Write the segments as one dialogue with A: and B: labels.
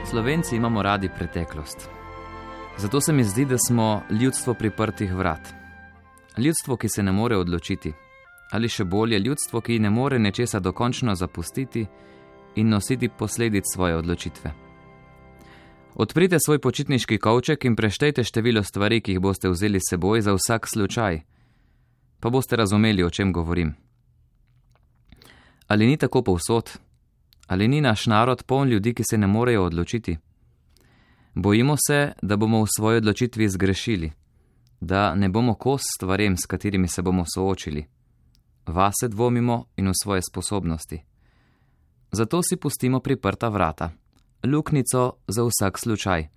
A: Slovenci imamo radi preteklost. Zato se mi zdi, da smo ljudstvo priprtih vrat. Ljudstvo, ki se ne more odločiti. Ali še bolje, ljudstvo, ki ne more nečesa dokončno zapustiti in nositi posledic svoje odločitve. Odprite svoj počitniški kovček in preštejte število stvari, ki jih boste vzeli s seboj za vsak slučaj. Pa boste razumeli, o čem govorim. Ali ni tako povsod? Ali ni naš narod poln ljudi, ki se ne morejo odločiti? Bojimo se, da bomo v svoji odločitvi zgrešili, da ne bomo kos stvarem, s katerimi se bomo soočili. Vase dvomimo in v svoje sposobnosti. Zato si pustimo priprta vrata, luknjico za vsak slučaj,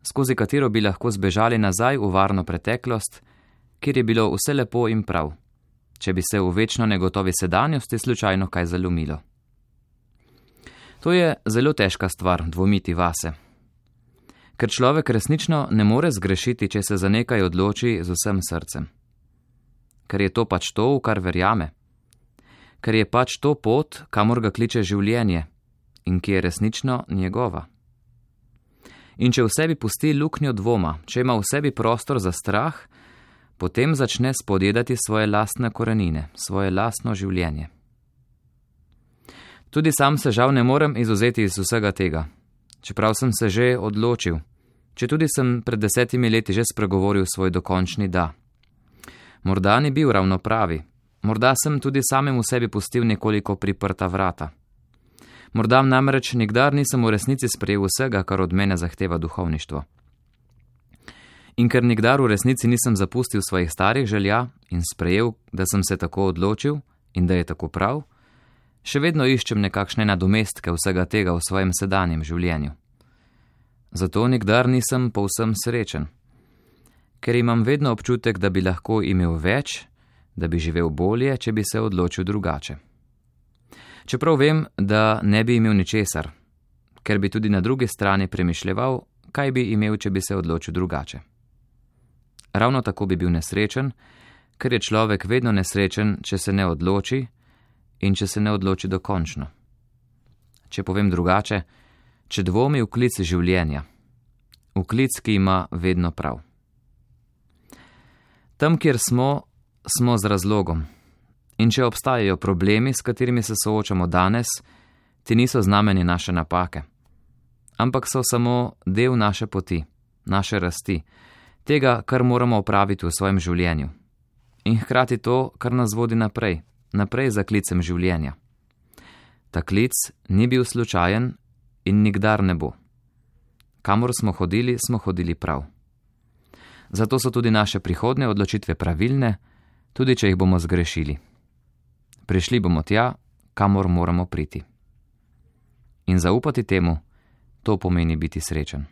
A: skozi katero bi lahko zbežali nazaj v varno preteklost, kjer je bilo vse lepo in prav, če bi se v večno negotovi sedanjosti slučajno kaj zalomilo. To je zelo težka stvar, dvomiti vase. Ker človek resnično ne more zgrešiti, če se za nekaj odloči z vsem srcem. Ker je to pač to, v kar verjame. Ker je pač to pot, kamor ga kliče življenje in ki je resnično njegova. In če v sebi pusti luknjo dvoma, če ima v sebi prostor za strah, potem začne spodjedati svoje lastne korenine, svoje lastno življenje. Tudi sam se žal ne morem izvzeti iz vsega tega, čeprav sem se že odločil, četudi sem pred 10 leti že spregovoril svoj dokončni da. Morda ni bil ravno pravi, morda sem tudi samem v sebi pustil nekoliko priprta vrata. Morda namreč nikdar nisem v resnici sprejel vsega, kar od mene zahteva duhovništvo. In ker nikdar v resnici nisem zapustil svojih starih želja in sprejel, da sem se tako odločil in da je tako prav, še vedno iščem nekakšne nadomestke vsega tega v svojem sedanjem življenju. Zato nikdar nisem povsem srečen, ker imam vedno občutek, da bi lahko imel več, da bi živel bolje, če bi se odločil drugače. Čeprav vem, da ne bi imel ničesar, ker bi tudi na drugi strani premišljeval, kaj bi imel, če bi se odločil drugače. Ravno tako bi bil nesrečen, ker je človek vedno nesrečen, če se ne odloči in če se ne odloči dokončno. Če povem drugače, če dvomi v klic življenja, v klic, ki ima vedno prav. Tam, kjer smo, smo z razlogom. In če obstajajo problemi, s katerimi se soočamo danes, ti niso znamenje naše napake, ampak so samo del naše poti, naše rasti, tega, kar moramo opraviti v svojem življenju. In hkrati to, kar nas vodi naprej za klicem življenja. Ta klic ni bil slučajen in nikdar ne bo. Kamor smo hodili prav. Zato so tudi naše prihodnje odločitve pravilne, tudi če jih bomo zgrešili. Prišli bomo tja, kamor moramo priti. In zaupati temu, to pomeni biti srečen.